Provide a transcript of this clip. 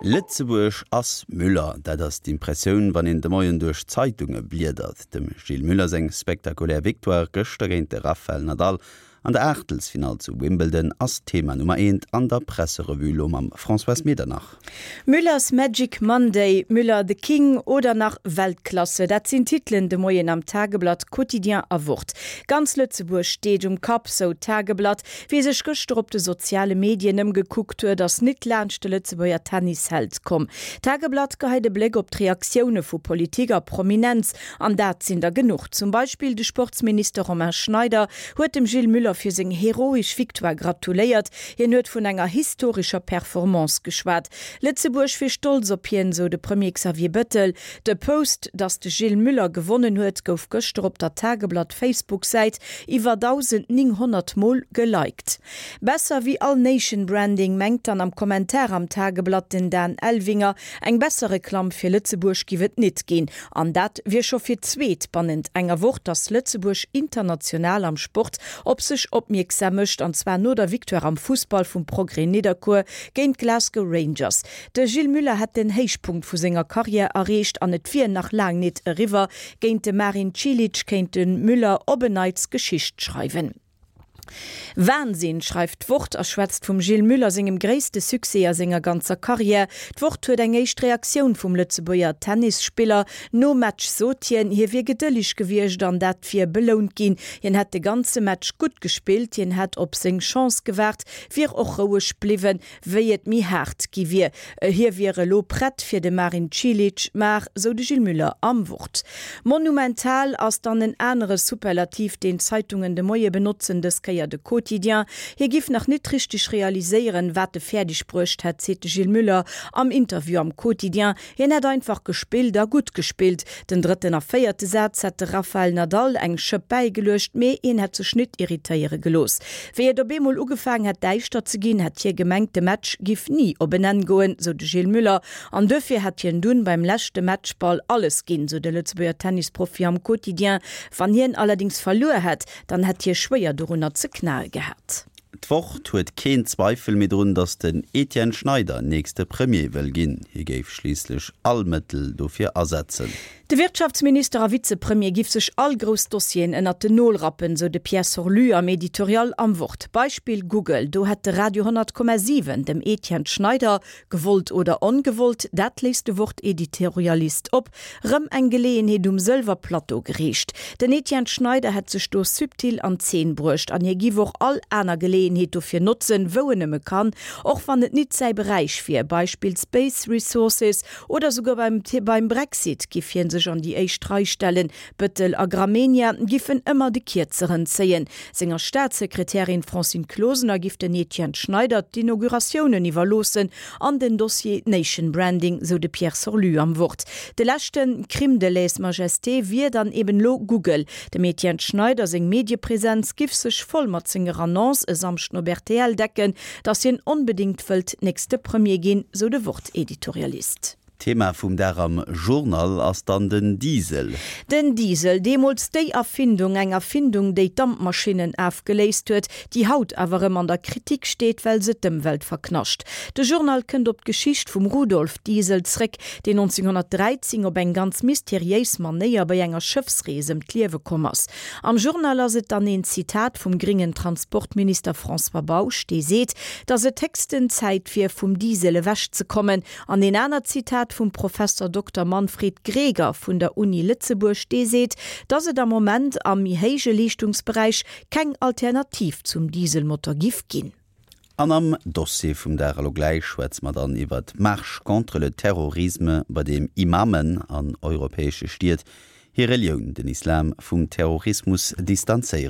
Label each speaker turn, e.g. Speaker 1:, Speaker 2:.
Speaker 1: Lëtzebuerg ass Müller, dat ass d'Impressioun, wann een de Moien duerch d'Zeitunge bliedert. Dem Gilles Müller seng spektakulär Victoire gëschter géint de Rafael Nadal an der Aachtelsfinall zu Wimbledon ass Thema Nummer eent an der Presserevue lo mam Françoise Medernach.
Speaker 2: Müller's Magic Monday, Müller the King oder nach Weltklasse, dat sinn d'Titelen de Moien am Tageblatt, Quotidien a Wort. Ganz Lëtzebuerg steet um Kapp, sou d'Tageblatt. Wie sech gëschter op de soziale Medien ëmgekuckt huet, ass nit laanscht de Lëtzebuerger Tennisheld komm. D'Tageblatt geheit e Bléck op d'Reaktioune vu Politik a Prominenz, an dat sinn der genuch. Zum Beispill de Sportsminister Romain Schneider huet dem Gilles Müller fir seng heroesch Victoire gratuléiert. Hien huet vun enger historescher Performance geschwat. Lëtzebuerg wier stolz op hien, sou de Premier Xavier Bettel. De Post, datt de Gilles Müller gewonnen huet, gouf gëschter op der Tageblatt-Facebook-Säit iwwer 1.900 Mol geliked. Besser wéi all Nation Branding, mengt dann am Kommentar am Tageblatt den Dan Elvinger. Eng besser Reklamm fir Lëtzebuerg giff et nit ginn. An dat wier scho fir d'zweet bannent enger Woch, datt Lëtzebuerg international am Sport op sech opmierksam mécht, an zwar no der Victoire am Fussball vum Progrès Nidderkuer géint d'Glasgow Rangers. De Gilles Muller hätt den Héichpunkt vu senger Karriär erreecht an et wier nach laang nit eriwwer. Géint de Marin Cilic kéint de Müller op en Neits Geschicht schreiwen. Wahnsinn, schreift d'Wort a schwätzt vum Gilles Muller sengem gréisste Succès a senger ganzer Karriär. D'Wort huet eng éischt Reaktioun vum Lëtzebuerger Tennisspiller. Nom Match sot hien, hie wier gedëlleg gewiescht an dat wier belount ginn. Hien hätt de ganze Match gutt gespillt, hien hätt op seng Chance gewaart, wier och roueg bliwwen. Wéi et méi haart gi wier. Hie wier elo prett fir de Marin Cilic, mar, sou de Gilles Muller am Wort. Monumental ass dann en anere Superlativ, deen d'Zeitungen de Moie benotzen, dës Kéier de Quotidien. Hie giff nach nit richteg realiséieren, wat e fäerdeg bruecht hätt, seet de Gilles Muller am Interview am Quotidien. Hien hätt einfach gespillt a gutt gespillt. Den drëtten a véierte Saz hätt de Rafael Nadal eng Schëpp bäigeluecht, mee hien hätt sech nit irritéiere gelooss. Wéi et op eemol ugefaang hätt däischter ze ginn, hätt hie gemengt, de Match giff ni op en Enn goen, sou de Gilles Muller. An duerfir hätt hien dunn beim leschte Matchball alles ginn, sou de Lëtzebuerger Tennisprofi am Quotidien. Wann hien allerdings verluer hätt, dann hätt hie schwéier dorunner ze knae gehat.
Speaker 1: D'Wort huet keen Zweifel méi drun, datt den Etienne Schneider nächste Premier wëll ginn. Hie géif schliisslech all Mëttel dofir asetzen.
Speaker 2: De Wirtschaftsminister a Vizepremier giff sech all grouss Dossieren ënnert den Nol rappen, sou de Pierre Sorlu am Editorial am Wort. Beispill Google, do hätt de Radio 100,7 dem Etienne Schneider, gewollt oder ongewollt, dat léisst de Wort-Editorialist op, rëm eng Geleeënheet um Sëlwerplatto gereecht. Den Etienne Schneider hätt sech do subtil an Zeen bruecht an hie giff och all aner Geleeënheet dofir notzen, wou en nëmme kann, och wann et nit säi Beräich wier, Beispill Space Resources, oder souguer beim beim Brexit giff hien sech an déi éischt Rei stellen. Bëttel a Gramegna giffen ëmmer de Kierzeren zéien. Senger Staatssekretärin Francine Closener giff den Etienne Schneider d'Inauguratiounen iwwerloossen an den Dossier Nation Branding, sou de Pierre Sorlu am Wort. De leschte Crime de lèse-majesté wier dann eben lo Google. Dem Etienne Schneider seng Mediepresenz giff sech voll mat senger Annonce e Samschden op rtl decken, datt hien onbedéngt wëllt nächste Premier ginn, sou de Wort-Editorialist.
Speaker 1: Thema vum Dag am Journal ass dann den Diesel.
Speaker 2: Den Diesel, deemools déi Erfindung, eng Erfindung, déi d'Dampmaschinnen afgeléist huet, déi haut awer erëm an der Kritik steet, well se d'Ëmwelt verknascht. De Journal kënnt op d'Geschicht vum Rudolf Diesel zréck, deen 1913 op eng ganz mysteriéis Manéier bei enger Schëffsrees ëm d'Liewe komm ass. Am Journal ass et dann een Zitat vum gringen Transportminister François Bausch, dee seet, datt et héchsten Zäit wier, vum Diesel ewechzekommen, An een anert Zitat vum Professor Dokter Manfred Greger vun der Uni Lëtzebuerg, dee seet, dass et am Moment am méi héije Leeschtungsberäich keng Alternativ zum Dieselmotor giff ginn.
Speaker 1: An am Dossier vum Dag elo gläich schwätze mer dann iwwert d'Marche contre le terrorisme, bei deem Imamen an europäesche Stied hir Relioun, den Islam, vum Terrorismus distanzéieren.